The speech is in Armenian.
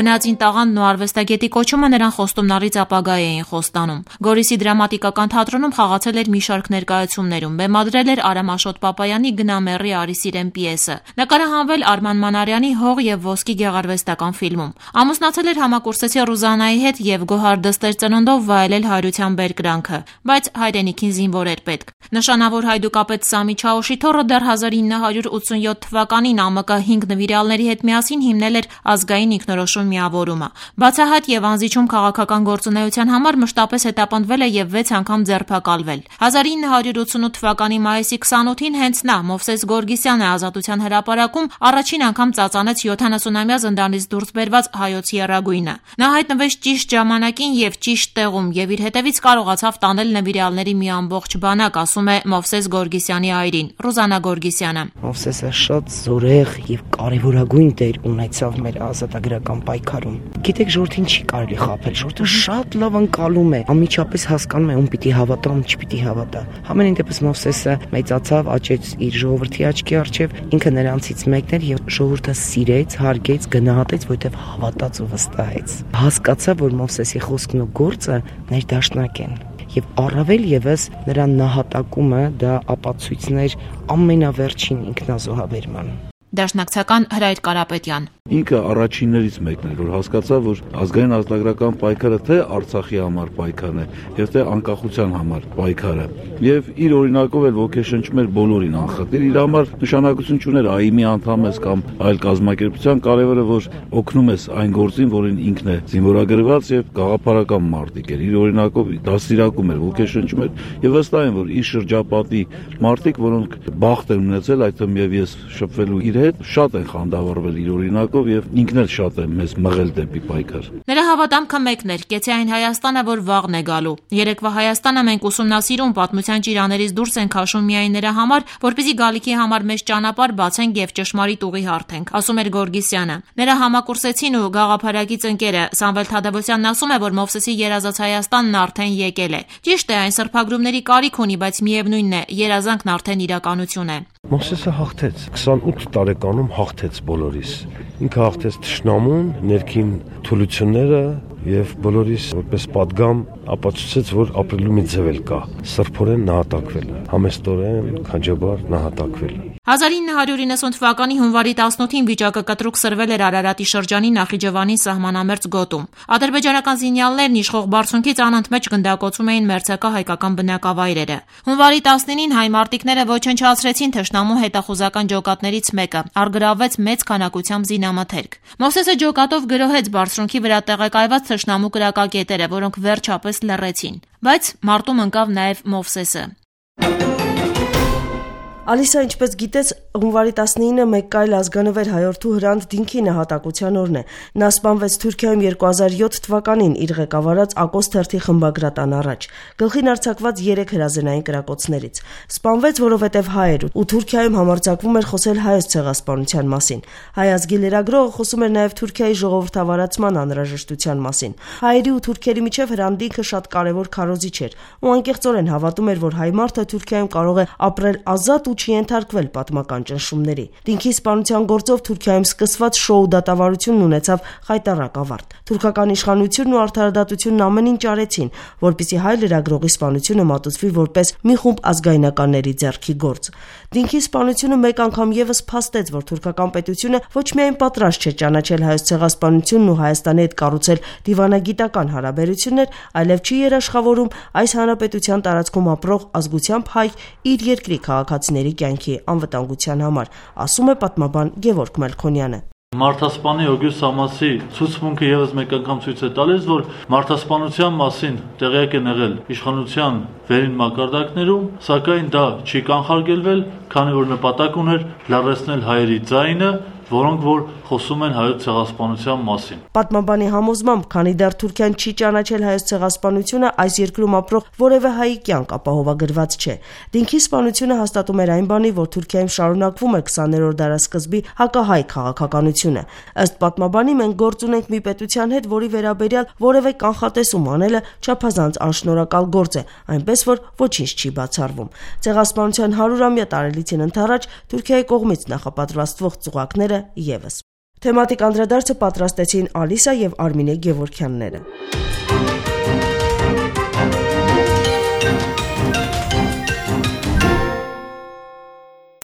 Բնածին տաղանդն ու արվեստագետի կոչումը նրան խոստումնալից ապագա էին խոստանում։ Գորիսի դրամատիկական թատրոնում խաղացել էր մի շարք ներկայացումներում, բեմադրել էր Արամ Աշոտ Պապայանի «Գնամեռի արի սիրեմ» պիեսը, նկարահանվել Արման Մանարյանի «Հող և ոսկի» գեղարվեստական ֆիլմում։ Ամուսնացել էր համակուրսեցի Ռուզանայի հետ և գոհար դստեր ծնունդով վայելել հայրության բերկրանքը, բայց հայրենիքին զինվոր էր պետք։ Նշանավոր հայդուկապետ Սամի Չաուշիթոռը դեռ 1987 թվականին ԱՄԿ 5 նվիրյալների հետ միասին հիմնել էր ազգային ինքնորոշում միավորումը։ Բացահայտ և անզիջում քաղաքական գործունեության համար մշտապես հետապնդվել է և 6 անգամ ձերբակալվել։ 1988 թվականի մայիսի 28-ին հենց նա, Մովսես Գորգիսյանը, Ազատության հրապարակում առաջին անգամ ծածանեց 70-ամյա զնդանից դուրս բերված հայոց եռագույնը։ Նա հայտնվեց ճիշտ ժամանակին և ճիշտ տեղում և իր հետևից կարողացավ տանել նվիրյալների մի ամբողջ բանակ, ասում է Մովսես Գորգիսյանի այրին, Ռուզանա Գորգիսյանը։ Մովսեսը շատ զորեղ և կարևորագույն դեր ունեցավ մեր ազատագրական պայքարում։ Գիտեք, ժողովրդին չի կարելի խաբել, ժողովուրդը շատ լավ ընկալում է, անմիջապես հասկանում է ում պիտի հավատա, ում չպիտի հավատա։ Համենայն դեպս Մովսեսը մեծացավ, աճեց իր ժողովրդի աչքի առջև, ինքը նրանցից մեկն էր եւ ժողովուրդը սիրեց, հարգեց, գնահատեց, որովհետեւ հավատաց ու վստահեց։ Հասկացավ, որ Մովսեսի խոսքն ու գործը ներդաշնակ են։ Եվ առավել եւս նրա նահատակումը դա ապացույցներ ամենավերջին ինքնազոհաբերման։ Դաշնակցական Հրայր Կարապետյան։ Ինքը առաջիններից մեկն էր, որ հասկացավ, որ ազգային ազատագրական պայքարը թե Արցախի համար պայքարն է, եւ թե անկախության համար պայքարը։ Եվ իր օրինակով էլ ոգեշնչում էր բոլորին անխտիր, իր համար նշանակություն չուներ ԱԻՄ-ի անդամ ես կամ այլ կազմակերպության, կարևորը որ օգնում ես այն գործին, որին ինքն է զինվորագրված եւ գաղափարական մարտիկ էր։ Իր օրինակով դաստիարակում էր, ոգեշնչում էր եւ վստահ եմ, որ իր շրջապատի մարտիկ, որոնք բախտ են ունեցել, այդ թվում եւ ես շփվելու իր հետ, շատ են խանդավառվել իր օրինակով եւ ինքն էլ շատ է մեզ մղել դեպի պայքար։ Նրա հավատամքը մեկն էր՝ կեցի այն Հայաստանը, որ վաղն է գալու։ Երեկվա Հայաստանը մենք ուսումնասիրում, պատմության ճիրաներից դուրս ենք քաշում միայն նրա համար, որպեսզի գալիքի համար մեծ ճանապարհ բացենք եւ ճշմարիտ ուղի հարթենք, ասում էր Գորգիսյանը։ Նրա համակուրսեցին ու գաղափարակից ընկերը Սամվել Թադևոսյանն ասում է, որ Մովսեսի երազած Հայաստանն արդեն եկել է։ Ճիշտ է, այն սրբագրումների կարիք ունի, բայց միևնույնն է, երազանքն արդեն իրականություն է։ Մովսեսը հաղթեց, 28 տարեկանում հաղթեց բոլորիս։ Ինքը հաղթեց թշնամուն, ներքին թուլությունները եւ բոլորիս որպես պատգամ ապացուցեց, որ ապրելու մի ձև էլ կա՝ սրբորեն նահատակվել, համեստորեն, քաջաբար նահատակվել։ 1990 թվականի հունվարի 18-ին վիճակը կտրուկ սրվել էր Արարատի շրջանի Նախիջևանի սահմանամերձ գոտում։ Ադրբեջանական զինյալներն իշխող բարձունքից անընդմեջ գնդակոծում էին մերձակա հայկական բնակավայրերը։ Հունվարի 19-ին հայ մարտիկները ոչնչացրեցին թշնամու հետախուզական ջոկատներից մեկը, առգրավվեց մեծ քանակությամբ զինամթերք։ Մովսեսը ջոկատով գրոհեց բարձունքի վրա տեղակայված թշնամու կրակակետերը, որոնք վերջապես լռեցին։ Բայց մարտում ընկավ նաև Մովսեսը։ Ալիսա, ինչպես գիտես, հունվարի 19-ը մեկ այլ ազգանվեր հայորդու Հրանտ Դինքի նահատակության օրն է։ Նա սպանվեց Թուրքիայում 2007 թվականին իր ղեկավարած Ակոս թերթի խմբագրատան առաջ, գլխին արձակված 3 հրազենային կրակոցներից։ Սպանվեց, որովհետև հայ էր ու Թուրքիայում համարձակվում էր խոսել հայոց ցեղասպանության մասին։ Հայ ազգի լրագրողը խոսում էր նաև Թուրքիայի ժողովրդավարացման անհրաժեշտության մասին։ Հայերի ու թուրքերի միջև Հրանտ Դինքը շատ կարևոր քարոզիչ էր ու անկեղծորեն հավատում էր, որ հայ մարդը Թուրքիայում կարող է ապրել ազատ ու չի ենթարկվել պատմական ճնշումների։ Դինքի սպանության գործով Թուրքիայում սկսված շոու դատավարությունն ունեցավ խայտառակ ավարտ։ Թուրքական իշխանությունն ու արդարադատությունն ամեն ինչ արեցին, որպեսզի հայ լրագրողի սպանությունը մատուցվի որպես մի խումբ ազգայնականների ձեռքի գործ։ Դինքի սպանությունը մեկ անգամ եւս փաստեց, որ թուրքական պետությունը ոչ միայն պատրաստ չէ ճանաչել հայոց ցեղասպանությունն ու Հայաստանի հետ կառուցել դիվանագիտական հարաբերություններ, այլև չի երաշխավորում այս հանրապետության տարածքում ապրող ազգությամբ հայ իր երկրի քաղաքացիների կյանքի անվտանգության համար, ասում է պատմաբան Գևորգ Մելքոնյանը։ Մարդասպանի Օգյուստ Սամասի ցուցմունքը եւս մեկ անգամ ցույց է տալիս, որ մարդասպանության մասին տեղյակ են եղել իշխանության վերին մակարդակներում, սակայն դա չի կանխարգելվել, քանի որ նպատակ ուներ լարեցնել հայերի ձայնը, որոնք որ խոսում են հայոց ցեղասպանության մասին։ Պատմաբանի համոզմամբ, քանի դեռ Թուրքիան չի ճանաչել հայոց ցեղասպանությունը, այս երկրում ապրող որևէ հայի կյանք ապահովագրված չէ։ Դինքի սպանությունը հաստատում էր այն բանի, որ Թուրքիայում շարունակվում է 20-րդ դարասկզբի հակահայ քաղաքականությունը։ Ըստ պատմաբանի, մենք գործ ունենք մի պետության հետ, որի վերաբերյալ որևէ կանխատեսում անելը չափազանց անշնորհակալ գործ է, այնպես որ ոչինչ չի բացառվում։ Ցեղասպանության 100-ամյա տարելիցին ընդառաջ Թուրքիայի կողմից նախապատրաստվող ծուղակները եւս։ Թեմատիկ անդրադարձը պատրաստեցին Ալիսա եւ Արմինե Գևորքյանները։